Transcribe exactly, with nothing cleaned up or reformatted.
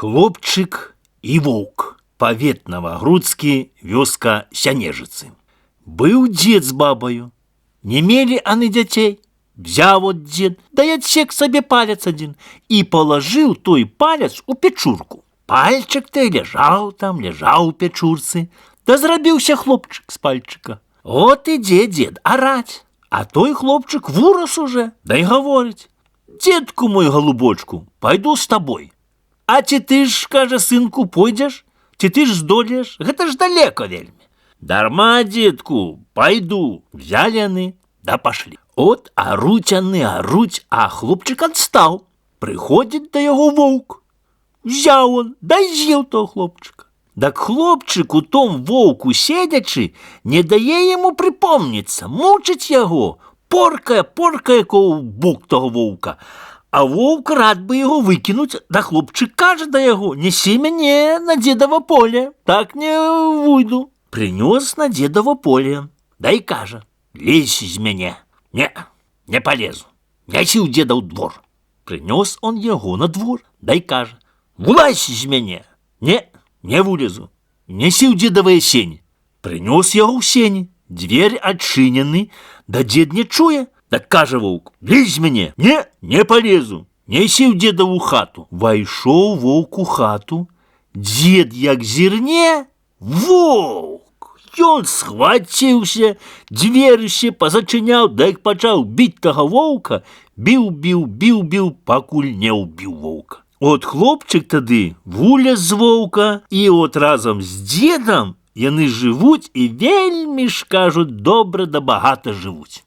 Хлопчык і воўк. Павет Новагрудскі, вёска Сянежыцы. Быў дзед з бабаю. Не мелі аны дзяцей. Взяў от дзед, да й адсек сабе палец адзін і палажыў той палец у печурку. Пальчык ты ляжаў там, ляжаў у печурцы, да зрабіўся хлопчык з пальчыка. От ідзе дзед араць, а той хлопчык вырас уже, да й гаворыць: «Дзедку мой голубочку, пайду з табой». «А ці ты ж, кажа, сынку, пойдзеш? Ці ты ж здолееш? Гэта ж далеко вельмі». «Дарма, дзедку, пайду». Взялі яны, да пашлі. От аруць яны, аруць, а хлопчык адстаў. Прыходзіць да яго воўк. Взяў он, да з'еў того хлопчыка. Дак хлопчык у том воўку седячы не дае яму прыпомніцца, мучыць яго, поркае, поркае ковбук того воўка. А воўк рад бы яго выкінуць, да хлопчык кажа да яго: «Несі мяне на дзедава поле, так не выйду». Прынёс на дзедава поле, да і кажа: «Лезь з мяне». «Не, не полезу, нясі ў дзеда ў двор». Прынёс он яго на двор, да і кажа: «Вылазь з мяне». «Не, не вылезу, нясі ў дзедавыя сені». Прынёс яго ў сені, дверь адчынены, да дзед не чуе. Так кажа воўк: «Лезь з мяне». «Не, не полезу, нясі ў дзедаву хату». Вайшоў воўк у хату, дзед як зірне, воўк! Ён схваціўся, дзверыще пазачыняў, да як пачаў біць таго воўка, біў, біў, біў, біў, пакуль не ўбіў воўка. От хлопчык тады вылез з воўка, і от разам з дзедам яны жывуць і вельмі ж, кажуць, добра да багата жывуць.